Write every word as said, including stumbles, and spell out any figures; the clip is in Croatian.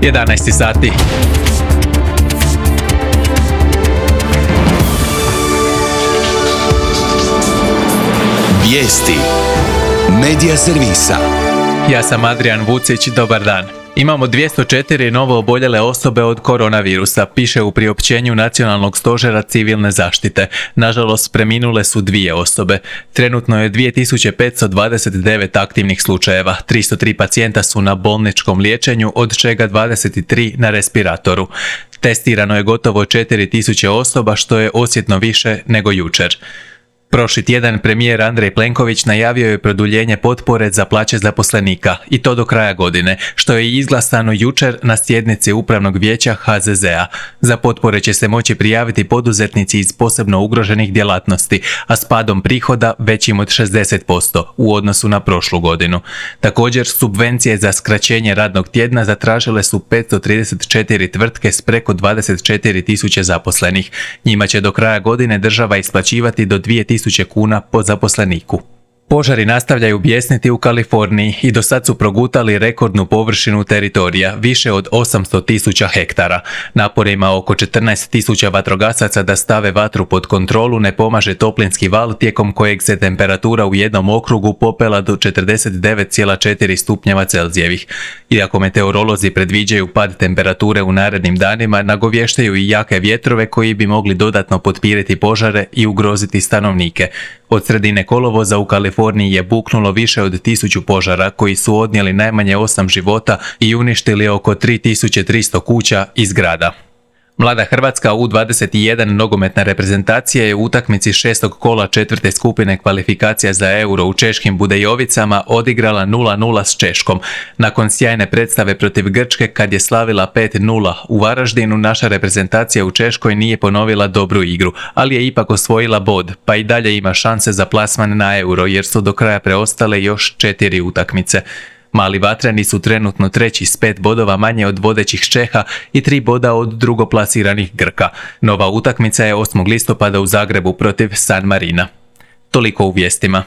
jedanaest sati. Vijesti Medija servisa. Ja sam Adrian Vucić, dobar dan. Imamo dvjesto četiri novo oboljele osobe od koronavirusa, piše u priopćenju Nacionalnog stožera civilne zaštite. Nažalost, preminule su dvije osobe. Trenutno je dvije tisuće petsto dvadeset devet aktivnih slučajeva, tristo tri pacijenta su na bolničkom liječenju, od čega dvadeset tri na respiratoru. Testirano je gotovo četiri tisuće osoba, što je osjetno više nego jučer. Prošli tjedan premijer Andrej Plenković najavio je produljenje potpore za plaće zaposlenika, i to do kraja godine, što je izglasano jučer na sjednici Upravnog vijeća ha ze zea. Za potpore će se moći prijaviti poduzetnici iz posebno ugroženih djelatnosti, a s padom prihoda većim od šezdeset posto u odnosu na prošlu godinu. Također, subvencije za skraćenje radnog tjedna zatražile su petsto trideset četiri tvrtke s preko dvadeset četiri tisuće zaposlenih. Njima će do kraja godine država isplaćivati do dvije tisuće kuna po zaposleniku. Požari nastavljaju bijesniti u Kaliforniji i do sad su progutali rekordnu površinu teritorija, više od osamsto tisuća hektara. Naporima oko četrnaest tisuća vatrogasaca da stave vatru pod kontrolu ne pomaže toplinski val tijekom kojeg se temperatura u jednom okrugu popela do četrdeset devet zarez četiri stupnjeva Celzijevih. Iako meteorolozi predviđaju pad temperature u narednim danima, nagovještaju i jake vjetrove koji bi mogli dodatno potpiriti požare i ugroziti stanovnike. Od sredine kolovoza u Kaliforniji je buknulo više od tisuću požara koji su odnijeli najmanje osam života i uništili oko tri tisuće tristo kuća i zgrada. Mlada Hrvatska u dvadeset jedan nogometna reprezentacija je u utakmici šestog kola četvrte skupine kvalifikacija za Euro u češkim Budejovicama odigrala nula nula s Češkom. Nakon sjajne predstave protiv Grčke kad je slavila pet nula u Varaždinu, naša reprezentacija u Češkoj nije ponovila dobru igru, ali je ipak osvojila bod, pa i dalje ima šanse za plasman na Euro jer su do kraja preostale još četiri utakmice. Mali vatreni su trenutno treći s pet bodova manje od vodećih Čeha i tri boda od drugoplasiranih Grka. Nova utakmica je osmog listopada u Zagrebu protiv San Marina. Toliko u vijestima.